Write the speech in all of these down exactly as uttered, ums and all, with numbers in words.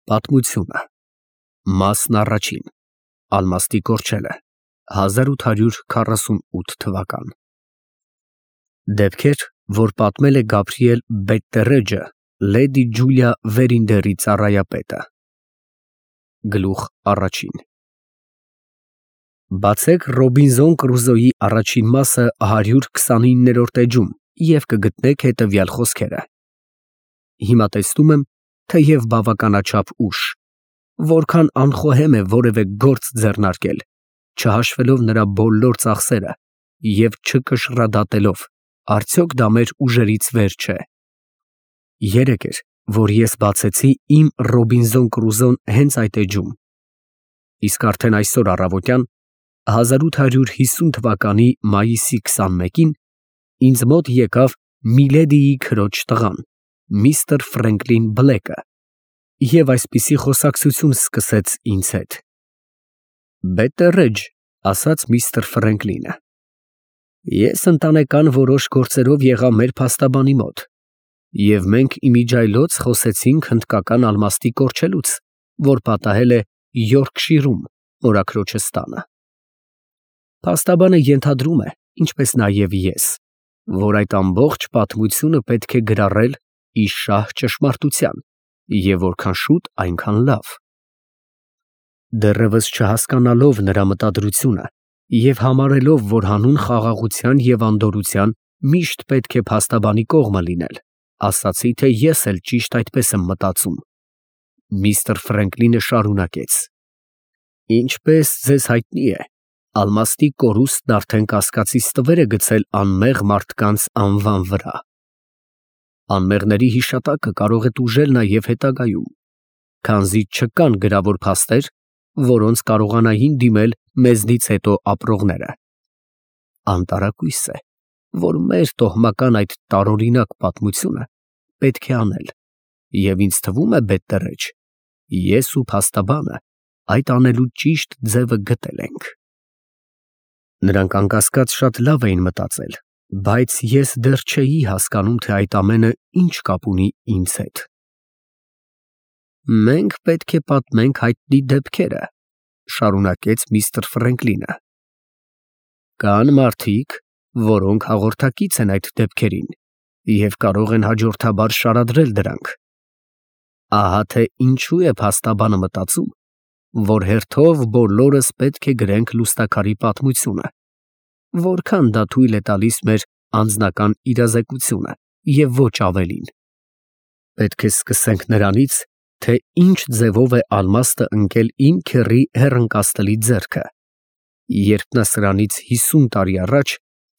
Պատմությունը Մասն առաջին Ալմաստի կորչելը հազար ութ հարյուր քառասունութ թվական Դեպքեր, որ պատմել է Գաբրիել Բետտերեջը, Լեդի Ջուլիա Վերինդերի ծառայապետը Գլուխ առաջին Բացեք Ռոբինզոն Կրուզոյի առաջին մասը հարյուր քսանիններորդ էջում և կգտնեք հետևյալ խոսքերը. Հիմա տեսնում եմ, թեև բավականաչափ ուշ, որքան անխոհեմ է որևէ գործ ձեռնարկել, չհաշվելով նրա բոլոր ծախսերը և չկշռադատելով, արդյոք դա մեր ուժերից վեր չէ։ Երեկ էր, որ ես բացեցի իմ Ռոբինզոն Կրուզոն հենց այդ էջում, իսկ արդեն այսօր առավոտյան, հազար ութ հարյուր հիսուն թվականի մայիսի քսանմեկին, ինձ մոտ եկավ Միլեդիի քրոջ տղան, միստր Ֆրենկլին Բլեքը, և այսպիսի խոսակցություն սկսեց ինձ հետ. Բետտերեջ, ասաց միստր Ֆրենկլինը, ես ընտանեկան որոշ գործերով եղա մեր փաստաբանի մոտ, և մենք իմիջիայլոց խոսեցինք հնդկական ալմաստի կորչելուց, որ պատահել է Յորքշիրում, մորաքրոջս տանը։ Փաստաբանը ենթադրում է, ինչպես նաև ես, որ այդ ամբողջ պատմությունը պետք է գրառել ի շահ ճշմարտության, և որքան շուտ, այնքան լավ։ Դեռևս չհասկանալով նրա մտադրությունը և համարելով, որ հանուն խաղաղության և անդորրության միշտ պետք է փաստաբանի կողմը լինել, ասացի, թե ես էլ ճիշտ այդպես եմ մտածում։ Միստր Ֆրենկլինը շարունակեց. Ինչպես ձեզ հայտնի է, ալմաստի կորուստն արդեն կասկածից տվեր է գցել անմեղ մարդկանց անվան վրա։ Անմեղների հիշատակը կարող է տուժել նաև հետագայում, քանզի չկան գրավոր փաստեր, որոնց կարողանային դիմել մեզնից հետո ապրողները։ Անտարակույս է, որ մեր տոհմական այդ տարօրինակ պատմությունը պետք է անել, և ինձ թվում է, Բետտերեջ, ես ու փաստաբանը այդ անելու ճիշտ ձևը գտել ենք։ Նրանք անկասկած շատ լավ էին մտածել, բայց ես դեռ չէի հասկանում, թե այդ ամենը ինչ կապ ունի ինձ հետ։ Մենք պետք է պատմենք հայտնի դեպքերը, շարունակեց միստր Ֆրենկլինը։ Կան մարդիկ, որոնք հաղորդակից են այդ դեպքերին և կարող են հաջորդաբար շարադրել դրանք։ Ահա թե ինչու է փաստաբանը մտածում, որ հերթով բոլորս պետք է գրենք լուստաքարի պատմությունը, որքան դա թույլ է տալիս մեր անձնական իրազեկությունը և ոչ ավելին։ Պետք է սկսենք նրանից, թե ինչ ձևով է ալմաստը ընկել իմ քեռի հեռընկածտելի ձեռքը, երբ նա սրանից հիսուն տարի առաջ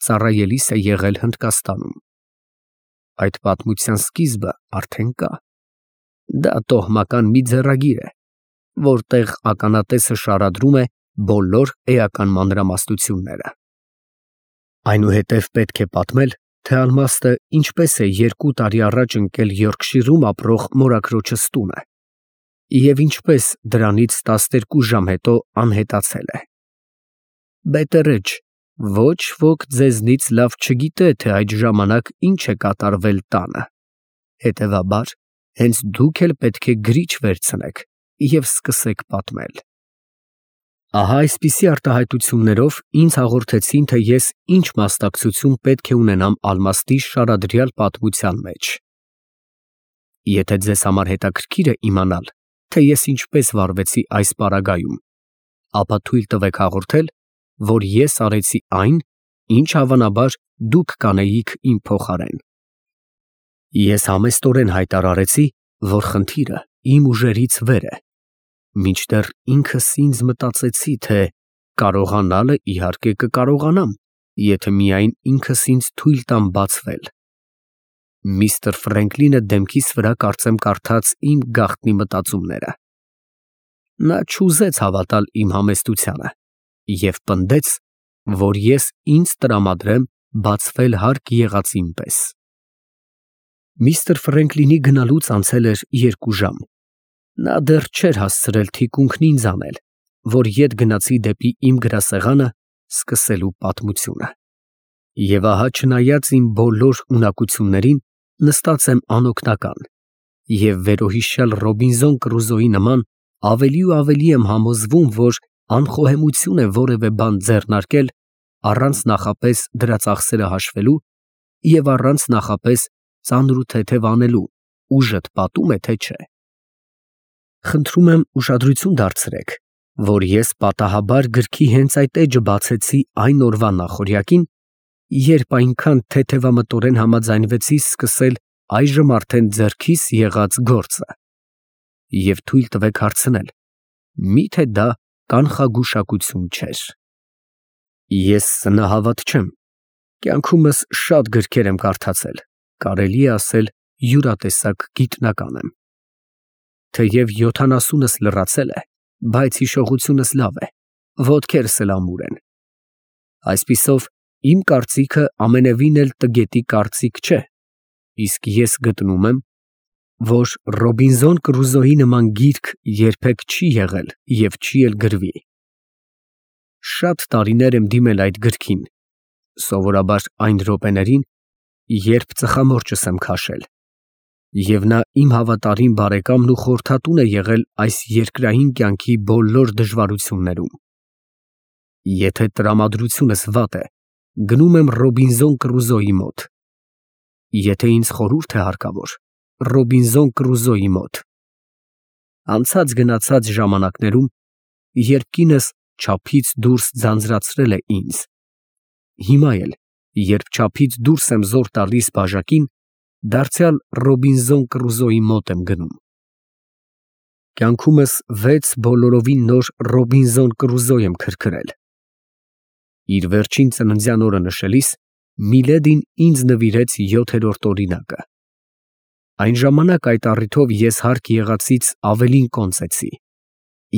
ծառայելիս է եղել Հնդկաստանում։ Այդ պատմության սկիզբը արդեն կա։ Դա տոհմական մի ձեռագիր է, որտեղ ականատեսը շարադրում է բոլոր էական մանրամասնությունները։ Այնուհետև պետք է պատմել, թե ալմաստը ինչպես է երկու տարի առաջ ընկել Յորքշիրում ապրող մորաքրոջս տունը և ինչպես դրանից տասներկու ժամ հետո անհետացել է։ Բետտերեջ, ոչ ոք ձեզնից լավ չգիտե, թե այդ ժամանակ ինչ է կատարվել տանը, հետևաբար, հենց դուք էլ պետք է գրիչ վերցնեք և սկսեք պատմել։ Ահա այսպիսի արտահայտություններով ինձ հաղորդեցին, թե ես ինչ մասնակցություն պետք է ունենամ ալմաստի շարադրյալ պատմության մեջ։ Եթե ձեզ համար հետաքրքիր է իմանալ, թե ես ինչպես վարվեցի այս պարագայում, ապա թույլ տվեք հաղորդել, որ ես արեցի այն, ինչ հավանաբար դուք կանեիք իմ փոխարեն։ Ես համեստորեն հայտարարեցի, որ խնդիրը իմ ուժերից վեր է, մինչդեռ ինքս ինձ մտածեցի, թե կարողանալը իհարկե կկարողանամ, եթե միայն ինքս ինձ թույլ տամ բացվել։ Միստր Ֆրենկլինը դեմքիս վրա կարծեմ կարդաց իմ գաղտնի մտածումները։ Նա չուզեց հավատալ իմ համեստությանը և պնդեց, որ ես ինձ տրամադրեմ բացվել հարկ եղածին պես։ Միստր Ֆրենկլինի գնալուց անցել էր երկու ժամ։ Նա դեռ չէր հասցրել թիկունքն ինձ անել, որ ետ գնացի դեպի իմ գրասեղանը սկսելու պատմությունը։ Եվ ահա չնայած իմ բոլոր ունակություններին, նստած եմ անօգնական Եվ վերոհիշյալ Ռոբինզոն Կրուզոյի նման ավելի ու ավելի եմ համոզվում, որ անխոհեմություն է որևէ բան ձեռնարկել առանց նախապես դրա ծախսերը հաշվելու և առանց նախապես ծանր ու թեթև անելու, ուժդ պատում է, թե չէ։ Խնդրում եմ ուշադրություն դարձրեք, որ ես պատահաբար գրքի հենց այդ էջը բացեցի այն օրվա նախօրյակին, երբ այնքան թեթևամտորեն համաձայնվեցի սկսել այժմ արդեն ձեռքիս եղած գործը, և թույլ տվեք հարցնել, մի՞թե դա կանխագուշակություն չէր։ Ես սնահավատ չեմ, կյանքումս շատ գրքեր եմ կարդացել, կարելի է ասել յուրատեսակ գիտնական եմ։ Թեև յոթանասունս լռացել է, բայց հիշողությունս լավ է, ոտքերս էլ ամուր են։ Այսպիսով, իմ կարծիքը ամենևին էլ տգետի կարծիք չէ, իսկ ես գտնում եմ, որ Ռոբինզոն Կրուզոյի նման գիրք երբեք չի եղել և չի էլ գրվի։ Շատ տարիներ եմ դիմել այդ գրքին, սովորաբար այն րոպեներին, երբ ծխամորճս եմ քաշել, և նա իմ հավատարիմ բարեկամն ու խորհրդատուն է եղել այս երկրային կյանքի բոլոր դժվարություններում։ Եթե տրամադրությունս վատ է, գնում եմ Ռոբինզոն Կրուզոյի մոտ, եթե ինձ խորհուրդ է հարկավոր, Ռոբինզոն Կրուզոյի մոտ։ Անցած գնացած ժամանակներում, երբ կինս չափից դուրս ձանձրացրել է ինձ, հիմա էլ, երբ չափից դուրս եմ զոր տալիս բաժակին, դարձյալ Ռոբինզոն Կրուզոյի մոտ եմ գնում։ Կյանքումս վեց բոլորովին նոր Ռոբինզոն Կրուզոյ եմ քրքրել։ Իր վերջին ծննդյան օրը նշելիս Միլեդին ինձ նվիրեց յոթերորդ օրինակը։ Այն ժամանակ այդ առիթով ես հարկ եղածից ավելին կոնծեցի,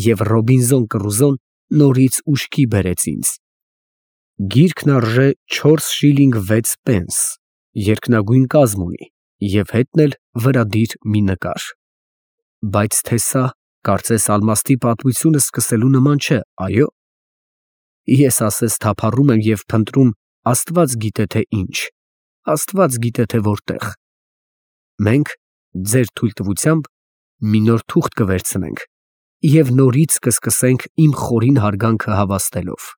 և Ռոբինզոն Կրուզոն նորից ուշքի բերեց ինձ։ Գիրքն արժե չորս շիլինգ վեց պենս, երկնագույն կազմ ունի և հետն էլ վրադիր մի նկար։ Բայց թե սա, կարծես ալմաստի պատմությունը սկսելու նման չէ, այո՞։ Ես ասես թափառում եմ և փնտրում աստված գիտե թե ինչ, աստված գիտե թե որտեղ։ Մենք, ձեր թույլտվությամբ, մի նոր թուղթ կվերցնենք և նորից կսկսենք իմ խորին հարգանքը հավաստելով։